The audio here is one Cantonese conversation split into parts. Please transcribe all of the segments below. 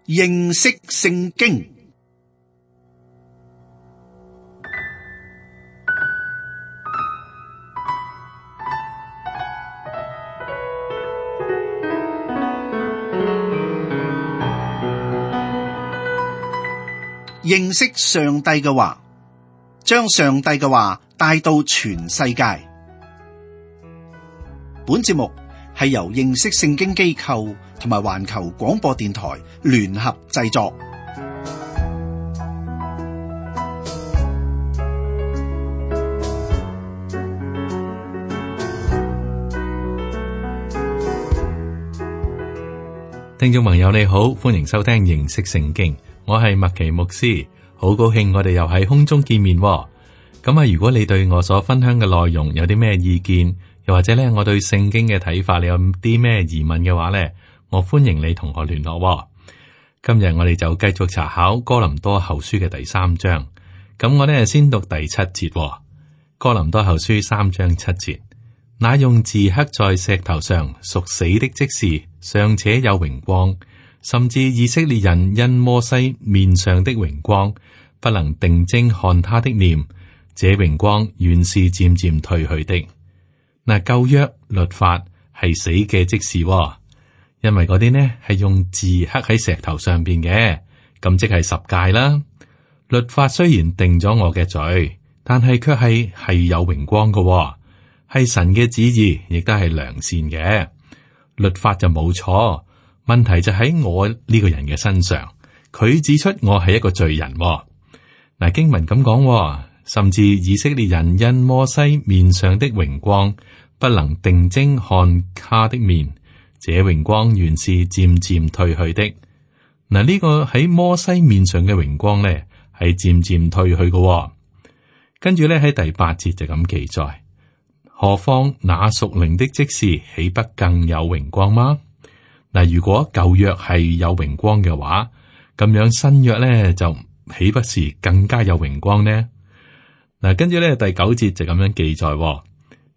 認識聖經。認識上帝嘅話，將上帝嘅話帶到全世界。本節目係由認識聖經機構同埋環球廣播電台聯合製作。聽眾朋友你好，歡迎收聽認識聖經，我係麥奇牧師，好高興我哋又喺空中見面。咁啊，如果你對我所分享嘅內容有啲咩意見，又或者咧我對聖經嘅睇法，你有啲咩疑問嘅話咧，我歡迎你同我聯絡。今日我哋就繼續查考哥林多後書嘅第3章。咁我咧先讀第7節。哥林多後書3章7節，那用字刻在石頭上屬死的職事，尚且有榮光，甚至以色列人因摩西面上的榮光，不能定睛看他的面，這榮光原是漸漸退去的。嗱，舊約律法係死嘅職事，因為嗰啲呢係用字刻喺石頭上邊嘅，咁即係十誡啦。律法雖然定咗我嘅罪，但係卻係有榮光嘅，係神嘅旨意，亦都係良善嘅。律法就冇錯，問題就喺我呢個人嘅身上。佢指出我係一個罪人。嗱，經文咁講，甚至以色列人因摩西面上的榮光，不能定睛看他的面，這榮光原是漸漸退去的。嗱，呢個喺摩西面上嘅榮光咧，係漸漸退去嘅。跟住咧喺第8節就咁記載，何況那屬靈的職事，豈不更有榮光嗎？嗱，如果舊約係有榮光嘅話，咁樣新約咧就豈不是更加有榮光呢？嗱，跟住咧第9節就咁樣記載，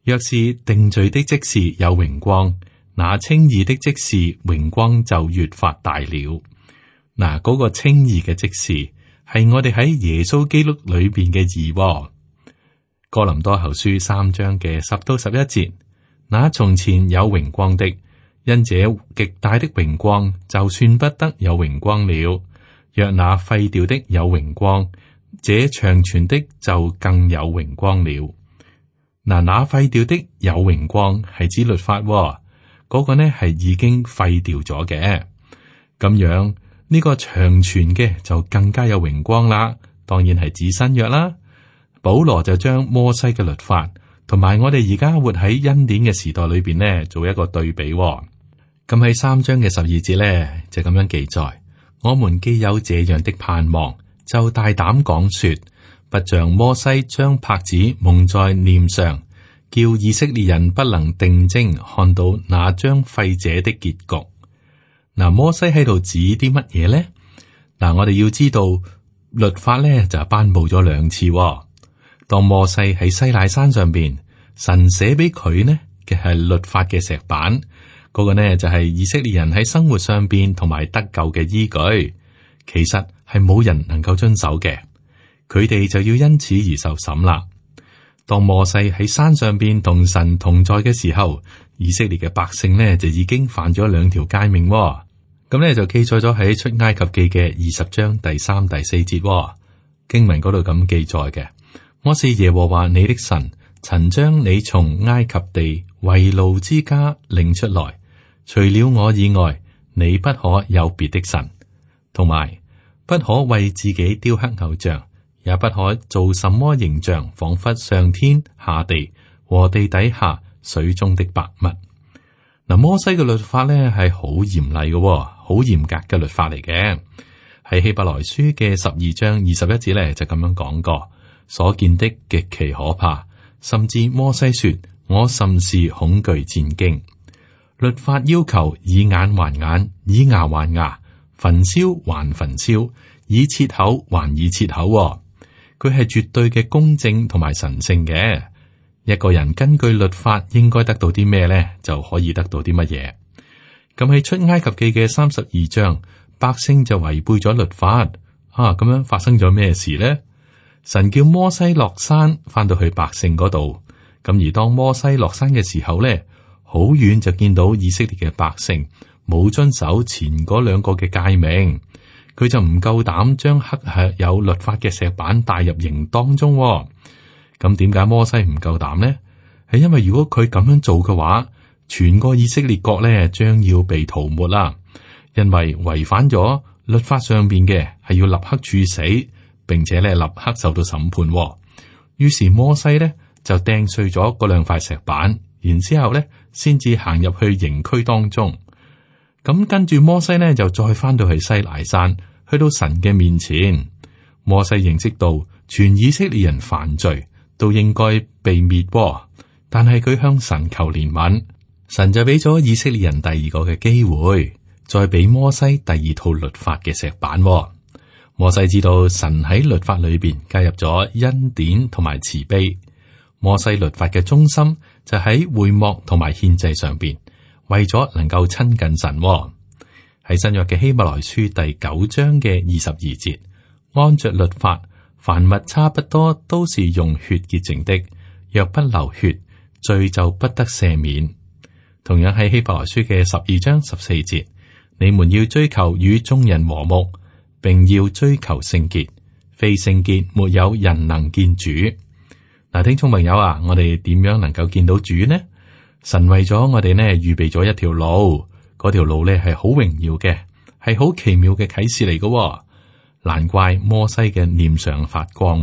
若是定罪的職事有榮光，那稱義的職事榮光就越發大了。嗱，嗰個稱義嘅職事係我哋喺耶穌基督裏邊嘅義。哥林多後書3章嘅10到11節，那從前有榮光的，因這極大的榮光，就算不得有榮光了。若那廢掉的有榮光，這長存的就更有榮光了。嗱，那廢掉的有榮光係指律法，嗰個呢係已經廢掉咗嘅。咁樣呢個長存嘅就更加有榮光啦。當然係指新約啦。保羅就將摩西嘅律法同埋我哋而家活喺恩典嘅時代裏邊呢，做一個對比。咁喺3章嘅12節呢，就咁樣記載：我們既有這樣的盼望，就大膽講說，不像摩西將帕子蒙在臉上，叫以色列人不能定睛看到那將廢者的結局。嗱，摩西喺度指啲乜嘢呢？嗱，我哋要知道律法呢就頒布咗2次。當摩西喺西奈山上邊，神寫俾佢呢嘅係律法嘅石板，嗰個呢就係以色列人喺生活上邊同埋得救嘅依據。其實係冇人能夠遵守嘅，佢哋就要因此而受審啦。當摩西喺山上邊同神同在嘅時候，以色列嘅百姓呢就已經犯咗2條誡命。咁呢就記載咗喺出埃及記嘅20章第3、第4節經文嗰度咁記載嘅。我是耶和華你的神，曾將你從埃及地為奴之家領出來，除了我以外，你不可有別的神，同埋不可為自己雕刻偶像，也不可做什麼形象，仿佛上天下地和地底下水中的百物。嗱，摩西嘅律法咧係好嚴厲嘅，好嚴格嘅律法嚟嘅。喺希伯來書嘅12章21節咧就咁樣講過。所見的極其可怕，甚至摩西說：我甚是恐懼戰驚。律法要求以眼還眼，以牙還牙，焚燒還焚燒，以切口還以切口。佢係絕對嘅公正同埋神聖嘅。一個人根據律法應該得到啲咩呢？就可以得到啲乜嘢。咁喺出埃及記嘅32章，百姓就違背咗律法。咁樣發生咗咩事呢？神叫摩西落山，翻到去百姓嗰度。咁而當摩西落山嘅時候呢，好遠就見到以色列嘅百姓冇遵守前嗰兩個嘅誡命，佢就唔夠膽將刻有律法嘅石板帶入營當中。咁點解摩西唔夠膽呢？係因為如果佢咁樣做嘅話，全個以色列國呢將要被塗抹啦，因為違反咗律法上邊嘅係要立刻處死，並且咧立刻受到審判。於是摩西呢就掟碎咗嗰兩塊石板，然之後咧先至行入去營區當中。咁跟住摩西呢就再翻到去西乃山，去到神嘅面前。摩西認識到全以色列人犯罪都應該被滅，但係佢向神求憐憫，神就俾咗以色列人第二個嘅機會，再俾摩西第二套律法嘅石板。摩西知道神喺律法裏邊加入咗恩典同埋慈悲。摩西律法嘅中心就喺會幕同埋獻祭上邊，為咗能夠親近神。喺新約嘅希伯來書第9章嘅22節，按着律法，凡物差不多都是用血潔淨的，若不流血，罪就不得赦免。同樣喺希伯來書嘅12章14節，你們要追求與眾人和睦，並要追求聖潔，非聖潔沒有人能見主。嗱，聽眾朋友啊，我哋點樣能夠見到主呢？神為咗我哋呢預備咗一條路，嗰條路呢係好榮耀嘅，係好奇妙嘅啟示嚟嘅。難怪摩西嘅臉上發光。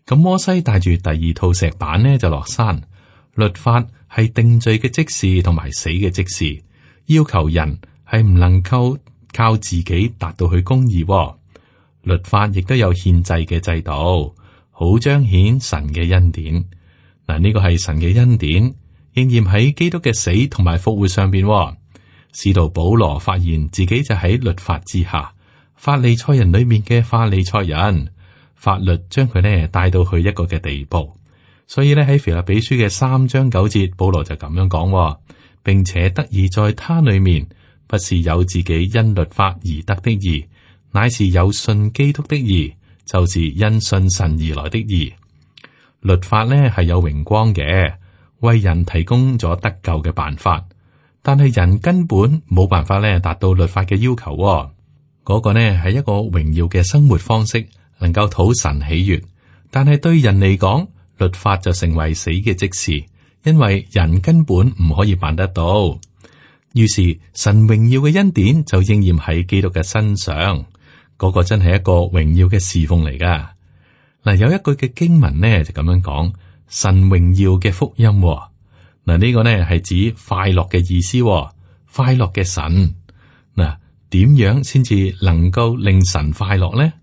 咁摩西帶住第二套石板呢就落山。律法係定罪嘅即時同埋死嘅即時，要求人係唔能夠靠自己達到去公義。律法亦都有獻祭嘅制度，好彰顯神嘅恩典。嗱，呢個係神嘅恩典，應驗喺基督嘅死同埋復活上邊。使徒保羅發現自己就喺律法之下，法利賽人裏面嘅法利賽人，法律將佢呢帶到去一個嘅地步。所以呢，喺腓立比書嘅3章9節，保羅就咁樣講，並且得以在他裏面，不是有自己因律法而得的義，乃是有信基督的義，就是因信神而來的義。律法呢係有榮光嘅，為人提供咗得救嘅辦法，但係人根本冇辦法呢達到律法嘅要求。嗰個呢係一個榮耀嘅生活方式，能夠討神喜悅，但係對人嚟講，律法就成為死嘅即時，因為人根本唔可以辦得到。於是神榮耀嘅恩典就應驗喺基督嘅身上，嗰個真係一個榮耀嘅侍奉嚟噶。嗱，有一句嘅經文呢就咁樣講：神榮耀嘅福音。嗱，呢個呢係指快樂嘅意思，快樂嘅神。嗱，點樣先至能夠令神快樂呢？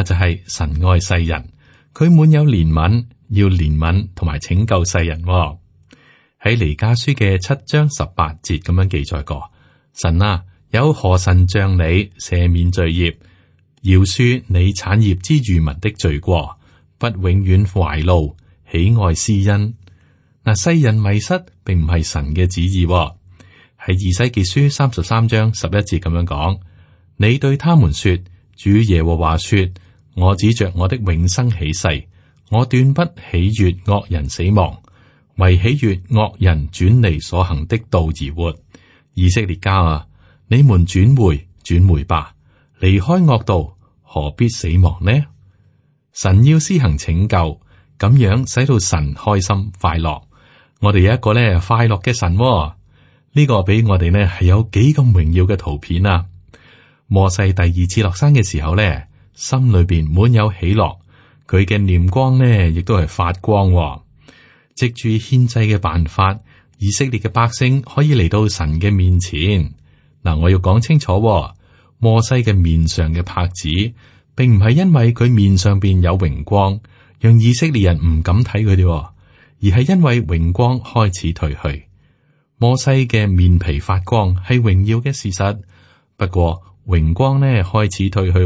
就係神愛世人，佢滿有憐憫，要憐憫同埋拯救世人。喺彌迦書嘅7章18節咁樣記載過：神啊，有何神像你赦免罪孽，饒恕你產業之餘民的罪過，不永遠懷怒，喜愛施恩。嗱，世人迷失並唔係神嘅旨意。喺以西結書33章11節咁樣講：你對他們說，主耶和華說，我指着我的永生起誓，我斷不喜悅惡人死亡，為喜悅惡人轉離所行的道而活。以色列家啊，你們轉回吧，離開惡道，何必死亡呢？神要施行拯救，咁樣使到神開心快樂。我哋有一個咧快樂嘅神，呢個俾我哋呢係有幾咁榮耀嘅圖片啊！摩西第二次落山嘅時候咧，心裏邊滿有喜樂，佢嘅臉光呢亦都係發光。藉住獻祭嘅辦法，以色列嘅百姓可以嚟到神嘅面前。嗱，我要講清楚，摩西嘅面上嘅帕子，並唔係因為佢面上邊有榮光，讓以色列人唔敢睇佢哋，而係因為榮光開始退去。摩西嘅面皮發光係榮耀嘅事實，不過榮光呢開始退去。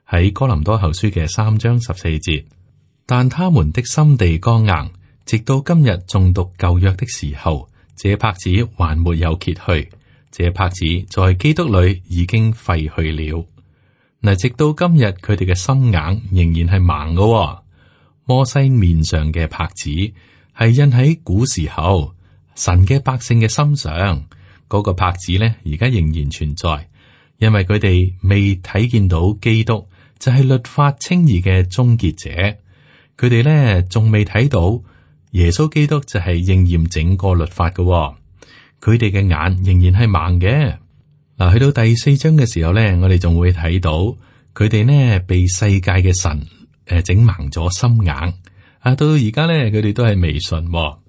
喺哥林多後書嘅3章14節，但他們的心地剛硬，直到今日誦讀舊約的時候，這帕子還沒有揭去，這帕子在基督裏已經廢去了。嗱，直到今日，佢哋嘅心硬仍然係盲嘅。摩西面上嘅帕子係印喺古時候神嘅百姓嘅心上，嗰個帕子呢，而家仍然存在，因為佢哋未睇見到基督就係律法稱義嘅終結者，佢哋呢仲未睇到耶穌基督就係應驗整個律法嘅。佢哋嘅眼仍然係盲嘅。嗱，去到第4章嘅時候呢，我哋仲會睇到佢哋呢被世界嘅神整盲咗心眼。到而家呢，佢哋都係未信。咁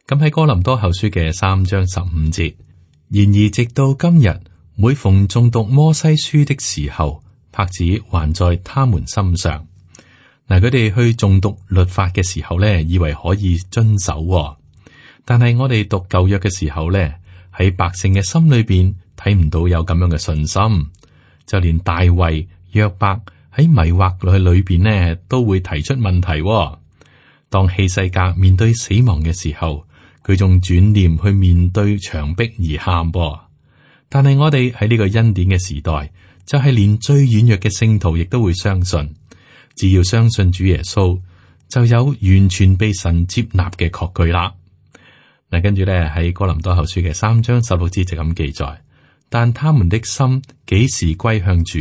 喺哥林多後書嘅3章15節，然而直到今日，每逢誦讀摩西書的時候，帕子還在他們心上。嗱，佢哋去誦讀律法嘅時候呢，以為可以遵守。但係我哋讀舊約嘅時候呢，喺百姓嘅心裏邊睇唔到有咁樣嘅信心，就連大衛、約伯喺迷惑裏邊呢，都會提出問題。當希西家面對死亡嘅時候，佢仲轉念去面對牆壁而喊。但係我哋喺呢個恩典嘅時代，就係連最軟弱嘅聖徒亦都會相信，只要相信主耶穌，就有完全被神接納嘅確據啦。嗱，跟住咧喺哥林多後書嘅3章16節就咁記載，但他們的心幾時歸向主，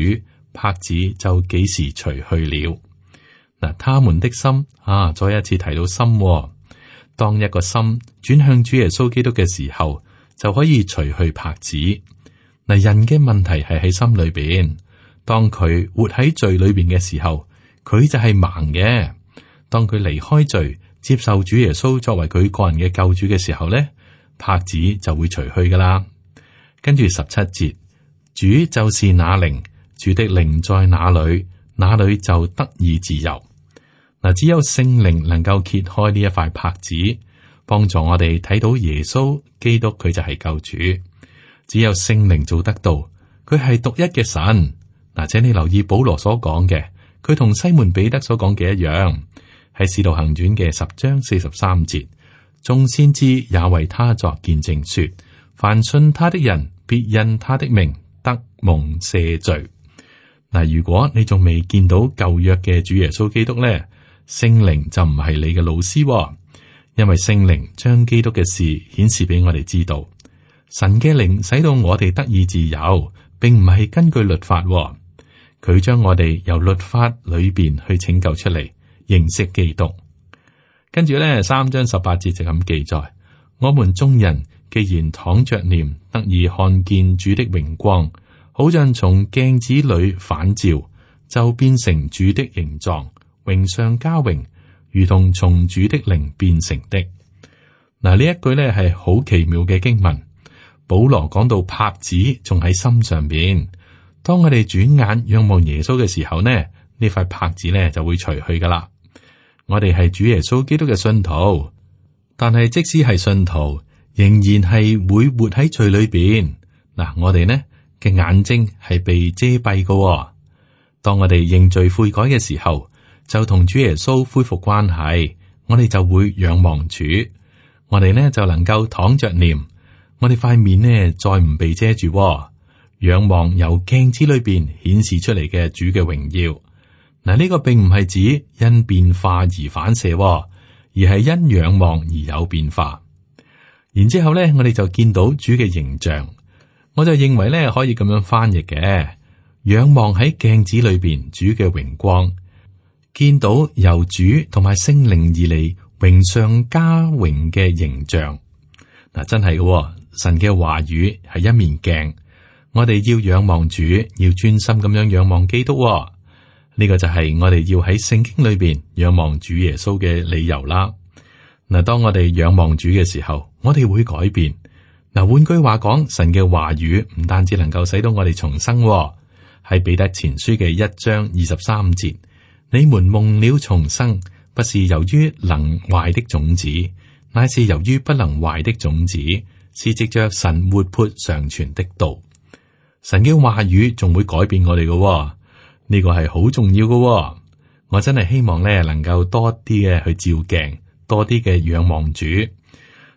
帕子就幾時除去了。嗱，他們的心再一次提到心。當一個心轉向主耶穌基督嘅時候，就可以除去帕子。嗱，人嘅問題係喺心裏邊，當佢活喺罪裏邊嘅時候，佢就係盲嘅。當佢離開罪，接受主耶穌作為佢個人嘅救主嘅時候咧，帕子就會除去噶啦。跟住17節，主就是那靈，主的靈在哪裏，那裏就得以自由。嗱，只有聖靈能夠揭開呢一塊帕子，幫助我哋睇到耶穌基督，佢就係救主。只有聖靈做得到，佢係獨一嘅神。嗱，請你留意保羅所講嘅，佢同西門彼得所講嘅一樣，喺使徒行傳嘅10章43節，眾先知也為他作見證說，凡信他的人，必因他的名得蒙赦罪。嗱，如果你仲未見到舊約嘅主耶穌基督咧，聖靈就唔係你嘅老師，因為聖靈將基督嘅事顯示俾我哋知道。神嘅靈使到我哋得以自由，並唔係根據律法，佢將我哋由律法裏邊去拯救出嚟，認識基督。跟住咧3章18節就咁記載：我們眾人既然敞着臉，得以看見主的榮光，好像從鏡子裏反照，就變成主的形狀，榮上加榮，如同從主的靈變成的。嗱，呢一句咧係好奇妙嘅經文。保羅講到帕子仲喺心上邊，當我哋轉眼仰望耶穌嘅時候呢，呢塊帕子呢就會除去噶啦。我哋係主耶穌基督嘅信徒，但係即使係信徒，仍然係會活喺罪裏邊。嗱，我哋呢嘅眼睛係被遮蔽噶。當我哋認罪悔改嘅時候，就同主耶穌恢復關係，我哋就會仰望主，我哋呢就能夠敞着臉。我哋塊面呢，再唔被遮住，仰望由鏡子裏邊顯示出嚟嘅主嘅榮耀。嗱，呢個並唔係指因變化而反射，而係因仰望而有變化。然之後咧，我哋就見到主嘅形象。我就認為咧，可以咁樣翻譯嘅：仰望喺鏡子裏邊主嘅榮光，見到由主同埋聖靈而嚟榮上加榮嘅形象。嗱，真係嘅。神嘅話語係一面鏡，我哋要仰望主，要專心咁樣仰望基督。呢個就係我哋要喺聖經裏邊仰望主耶穌嘅理由啦。嗱，當我哋仰望主嘅時候，我哋會改變。嗱，換句話講，神嘅話語唔單止能夠使到我哋重生，喺彼得前書嘅1章23節，你們蒙了重生，不是由於能壞的種子，乃是由於不能壞的種子。是藉着神活潑常存的道，神嘅話語仲會改變我哋嘅，呢個係好重要嘅。我真係希望咧能夠多啲嘅去照鏡，多啲嘅仰望主。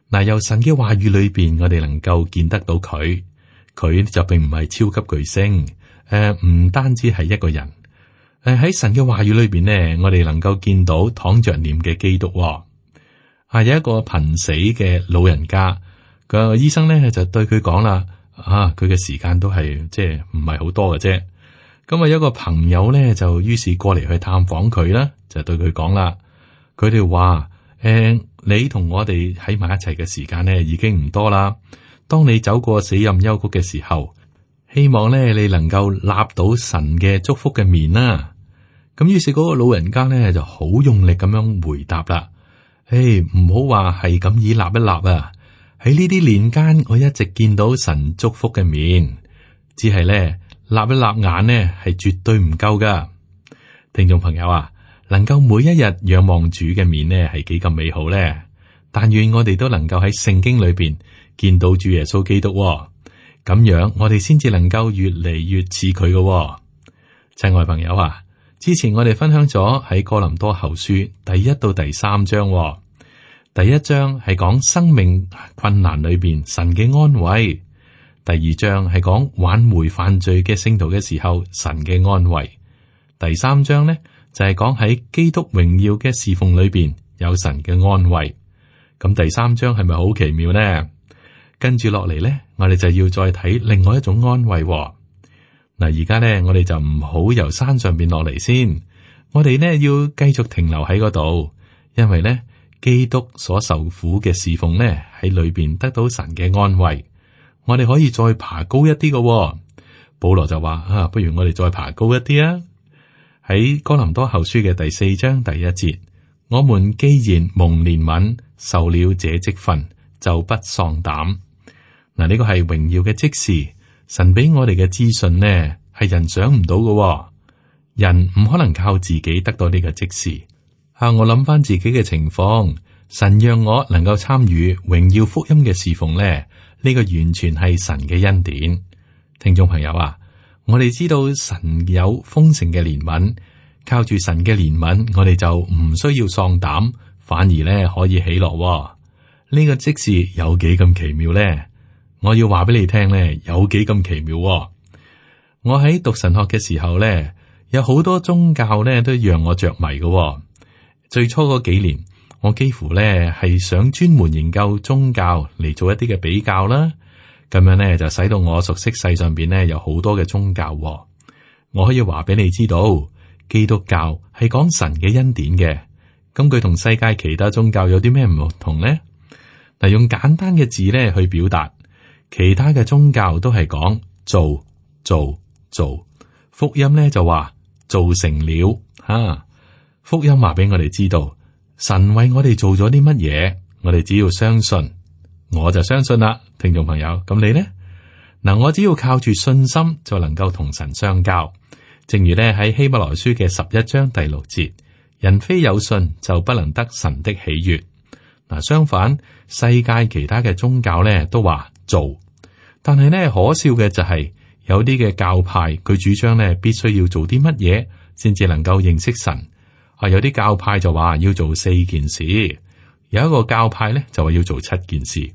嗱，由神嘅話語裏邊，我哋能夠見得到佢，佢就並唔係超級巨星，唔單止係一個人。喺神嘅話語裏邊呢，我哋能夠見到躺着念嘅基督。有一個瀕死嘅老人家，個醫生咧就對佢講啦，佢嘅時間都係即係唔係好多嘅啫。咁有一個朋友咧就於是過嚟去探訪佢啦，就對佢講啦，佢哋話你同我哋喺埋一齊嘅時間呢已經唔多啦。當你走過死蔭幽谷嘅時候，希望咧你能夠立到神嘅祝福嘅面啦。咁於是嗰個老人家咧就好用力咁樣回答啦。唔好話係咁以立一立啊！喺呢啲年間，我一直見到神祝福嘅面，只係咧立一立眼呢係絕對唔夠噶。聽眾朋友啊，能夠每一日仰望主嘅面呢係幾咁美好咧？但願我哋都能夠喺聖經裏邊見到主耶穌基督，咁樣我哋先至能夠越嚟越似佢嘅。親愛朋友啊！之前我哋分享咗喺哥林多後書第1到第3章，第1章係講生命困難裏邊神嘅安慰，第2章係講挽回犯罪嘅聖徒嘅時候神嘅安慰，第3章呢就係講喺基督榮耀嘅侍奉裏邊有神嘅安慰。咁第3章係咪好奇妙呢？跟住落嚟呢，我哋就要再睇另外一種安慰。嗱，而家咧，我哋就唔好由山上邊落嚟先，我哋呢要繼續停留喺嗰度，因為咧基督所受苦嘅侍奉咧喺裏邊得到神嘅安慰，我哋可以再爬高一啲嘅。保羅就話不如我哋再爬高一啲啊！喺哥林多後書嘅第4章第1節，我們既然蒙憐憫，受了這職分，就不喪膽。嗱，呢個係榮耀嘅職事。神俾我哋嘅資訊呢，係人想唔到嘅，人唔可能靠自己得到呢個職事。我諗翻自己嘅情況，神讓我能夠參與榮耀福音嘅侍奉呢，呢個完全係神嘅恩典。聽眾朋友啊，我哋知道神有豐盛嘅憐憫，靠住神嘅憐憫，我哋就唔需要喪膽，反而呢可以喜樂。呢個職事有幾咁奇妙呢？我要話俾你聽咧，有幾咁奇妙。我喺讀神學嘅時候咧，有好多宗教咧都讓我着迷嘅。最初嗰幾年，我幾乎咧係想專門研究宗教嚟做一啲嘅比較啦。咁樣咧就使到我熟悉世上邊咧有好多嘅宗教。我可以話俾你知道，基督教係講神嘅恩典嘅。咁佢同世界其他宗教有啲咩唔同呢？嗱，用簡單嘅字咧去表達。其他嘅宗教都係講做，福音咧就話做成了吓。福音話俾我哋知道，神為我哋做咗啲乜嘢，我哋只要相信，我就相信啦。聽眾朋友，咁你呢？嗱，我只要靠住信心就能夠同神相交。正如咧喺希伯來書嘅11章第6節，人非有信就不能得神的喜悅。嗱，相反，世界其他嘅宗教咧都話做，但係咧可笑嘅就係有啲嘅教派佢主張咧必須要做啲乜嘢先至能夠認識神。有啲教派就話要做4件事，有一個教派咧就話要做7件事，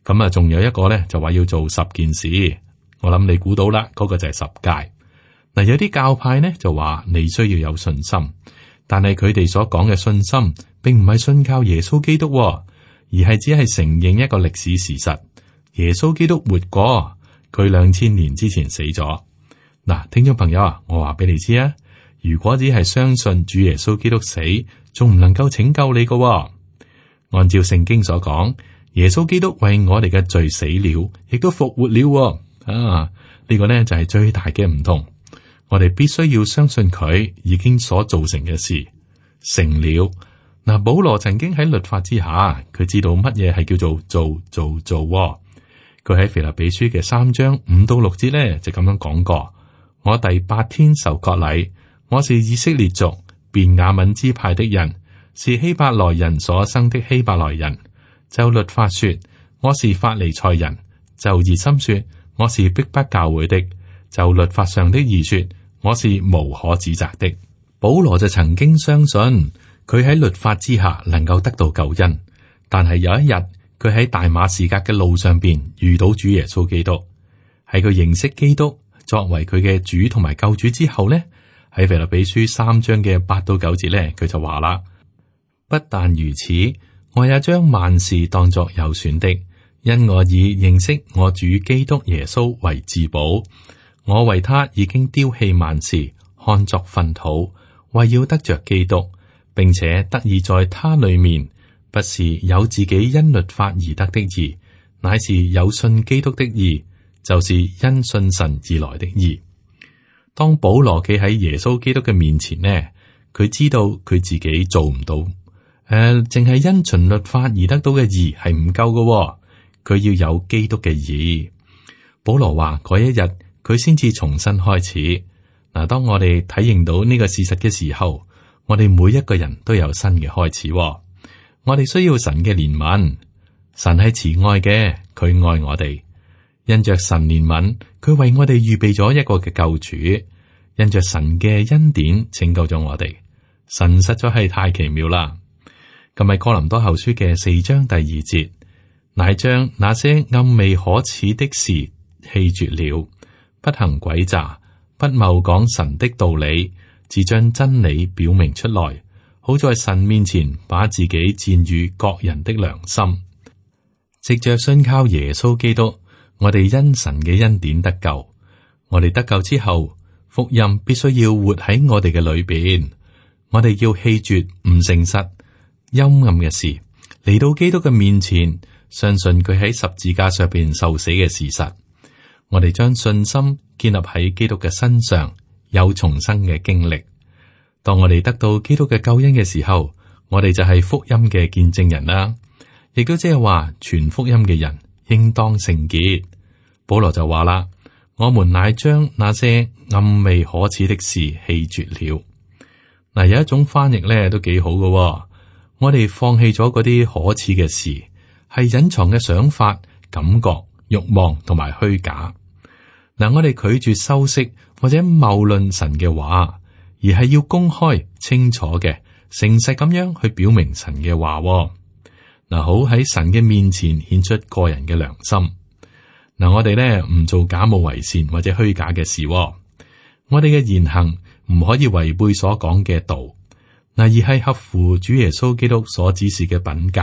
咁啊仲有一個咧就話要做10件事。我諗你估到啦，嗰個就係10誡。嗱，有啲教派咧就話你需要有信心，但係佢哋所講嘅信心並唔係信靠耶穌基督，而係只係承認一個歷史事實。耶穌基督活過，佢2000年之前死咗。嗱，聽眾朋友啊，我話俾你知啊，如果只係相信主耶穌基督死，仲唔能夠拯救你㗎。按照聖經所講，耶穌基督為我哋嘅罪死了，亦都復活了。呢個呢就係最大嘅唔同。我哋必須要相信佢已經所造成嘅事成了。嗱，保羅曾經喺律法之下，佢知道乜嘢係叫做做。佢喺腓立比書嘅3章5到6節咧就咁樣講過：我第8天受割禮，我是以色列族便雅憫支派的人，是希伯來人所生的希伯來人。就律法說，我是法利賽人；就熱心說，我是逼迫教會的；就律法上的義說，我是無可指責的。保羅就曾經相信佢喺律法之下能夠得到救恩，但係有一日佢喺大馬士革嘅路上邊遇到主耶穌基督。喺佢認識基督作為佢嘅主同埋救主之後呢，喺腓立比書3章嘅8到9節呢，佢就話啦：不但如此，我也將萬事當作有損的，因我以認識我主基督耶穌為至寶。我為他已經丟棄萬事，看作糞土，為要得着基督，並且得以在他裏面，不是有自己因律法而得的義，乃是有信基督的義，就是因信神而來的義。當保羅企喺耶穌基督嘅面前呢，佢知道佢自己做唔到，淨係因循律法而得到嘅義係唔夠嘅，佢要有基督嘅義。保羅話嗰一日佢先至重新開始。嗱，當我哋體認到呢個事實嘅時候，我哋每一個人都有新嘅開始。我哋需要神嘅憐憫，神係慈愛嘅，佢愛我哋。因着神憐憫，佢為我哋預備咗一個嘅救主。因着神嘅恩典拯救咗我哋，神實在係太奇妙啦。今日哥林多後書嘅4章第2節，乃將那些暗昧可恥的事棄絕了，不行詭詐，不謬講神的道理，只將真理表明出來，好在神面前把自己薦與各人的良心。藉着信靠耶穌基督，我哋因神嘅恩典得救。我哋得救之後，福音必須要活喺我哋嘅裏邊。我哋要棄絕唔誠實、陰暗嘅事，嚟到基督嘅面前，相信佢喺十字架上邊受死嘅事實。我哋將信心建立喺基督嘅身上，有重生嘅經歷。當我哋得到基督嘅救恩嘅時候，我哋就係福音嘅見證人啦。亦都即係話，傳福音嘅人應當聖潔。保羅就話啦：我們乃將那些暗昧可恥的事棄絕了。嗱，有一種翻譯咧都幾好嘅。我哋放棄咗嗰啲可恥嘅事，係隱藏嘅想法、感覺、慾望同埋虛假。嗱，我哋拒絕修飾或者謬論神嘅話，而係要公開、清楚嘅、誠實咁樣去表明神嘅話。嗱，好喺神嘅面前顯出個人嘅良心。嗱，我哋咧唔做假冒為善或者虛假嘅事。我哋嘅言行唔可以違背所講嘅道，嗱，而係合乎主耶穌基督所指示嘅品格。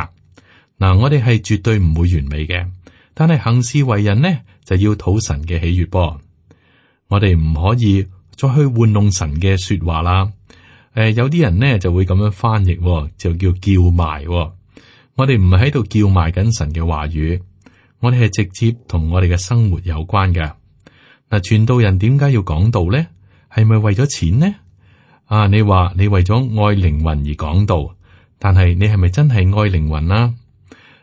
嗱，我哋係絕對唔會完美嘅，但係行事為人呢就要討神嘅喜悅噃。我哋唔可以再去玩弄神嘅說話啦。有啲人呢就會咁樣翻譯，就叫叫賣。我哋唔係喺度叫賣緊神嘅話語，我哋係直接同我哋嘅生活有關嘅。嗱，傳道人點解要講道呢？係咪為咗錢呢？你話你為咗愛靈魂而講道，但係你係咪真係愛靈魂啊？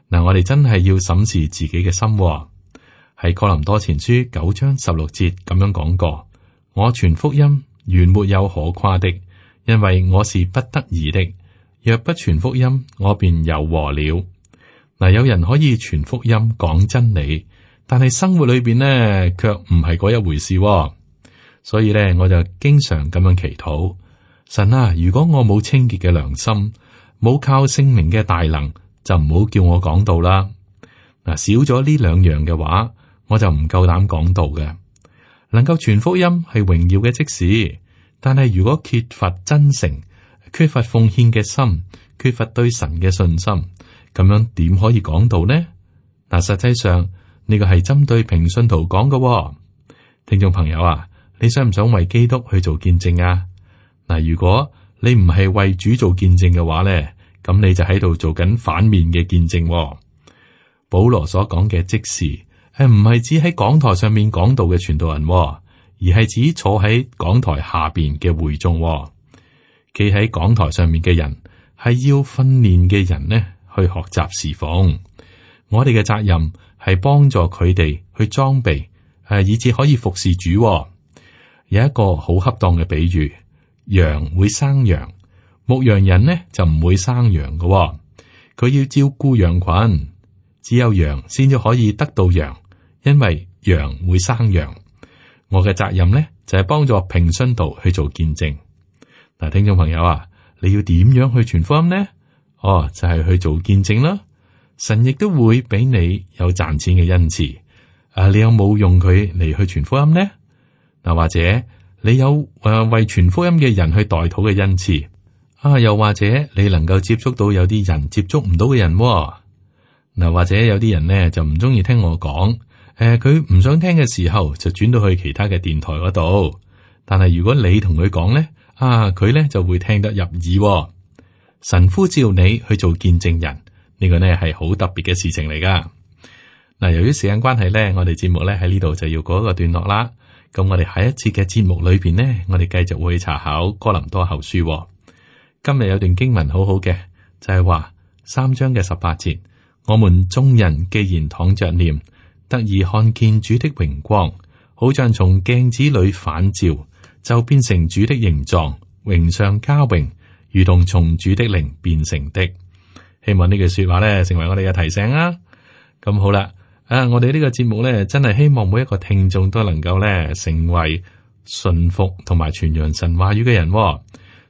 嗱，我哋真係要審視自己嘅心。喺哥林多前書9章16節咁樣講過：我傳福音原沒有可誇的，因為我是不得已的。若不傳福音，我便有禍了。嗱，有人可以傳福音講真理，但係生活裏邊呢，卻唔係嗰一回事。所以咧，我就經常咁樣祈禱：神啊，如果我冇清潔嘅良心，冇靠聖靈嘅大能，就唔好叫我講道啦。嗱，少咗呢兩樣嘅話，我就唔夠膽講道嘅。能夠傳福音係榮耀嘅職事，但係如果缺乏真誠，缺乏奉獻嘅心，缺乏對神嘅信心，咁樣點可以講道呢？嗱，實際上呢個係針對平信徒講嘅。聽眾朋友啊，你想唔想為基督去做見證啊？嗱，如果你唔係為主做見證嘅話咧，咁你就喺度做緊反面嘅見證。保羅所講嘅職事係唔係指喺講台上面講道嘅傳道人，而係指坐喺講台下邊嘅會眾。企喺講台上面嘅人係要訓練嘅人呢，去學習侍奉。我哋嘅責任係幫助佢哋去裝備，以至可以服侍主。有一個好恰當嘅比喻，羊會生羊，牧羊人呢就唔會生羊嘅。佢要照顧羊群，只有羊先至可以得到羊，因為羊會生羊。我嘅責任呢就係幫助平信徒去做見證。嗱，聽眾朋友啊，你要點樣去傳福音呢？就係去做見證啦。神亦都會俾你有賺錢嘅恩賜，你有冇用佢嚟去傳福音呢？嗱，或者你有為傳福音嘅人去代禱嘅恩賜啊？又或者你能夠接觸到有啲人接觸唔到嘅人嗱？或者有啲人呢就唔中意聽我講，佢唔想聽嘅時候就轉到去其他嘅電台嗰度。但係如果你同佢講呢，佢呢就會聽得入耳。神呼召你去做見證人，呢個呢係好特別嘅事情嚟噶。嗱，由於時間關係呢，我哋節目呢喺呢度就要告一個段落啦。咁我哋下一次嘅節目裏邊呢，我哋繼續會查考哥林多後書。今日有段經文好好嘅，就係話3章嘅18節，我們眾人既然躺着念，得以看見主的榮光，好像從鏡子裏反照，就變成主的形狀，榮上加榮，如同從主的靈變成的。希望呢句說話呢成為我哋嘅提醒啊！咁好啦，我哋呢個節目呢，真係希望每一個聽眾都能夠呢成為順服同埋傳揚神話語嘅人。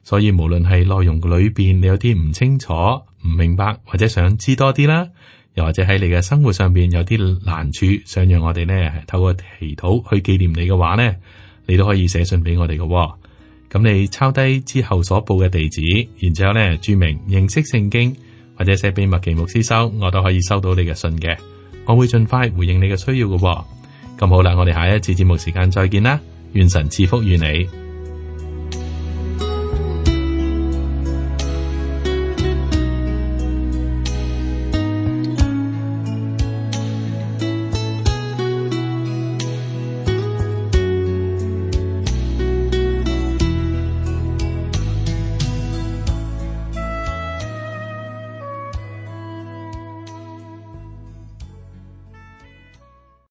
所以無論係內容裏邊你有啲唔清楚、唔明白，或者想知多啲啦，又或者喺你嘅生活上邊有啲難處，想讓我哋呢透過祈禱去紀念你嘅話呢，你都可以寫信俾我哋嘅。咁你抄低之後所報嘅地址，然之後呢注明認識聖經，或者寫俾麥奇牧師收，我都可以收到你嘅信嘅。我會盡快回應你嘅需要嘅。咁好啦，我哋下一次節目時間再見啦，願神賜福於你。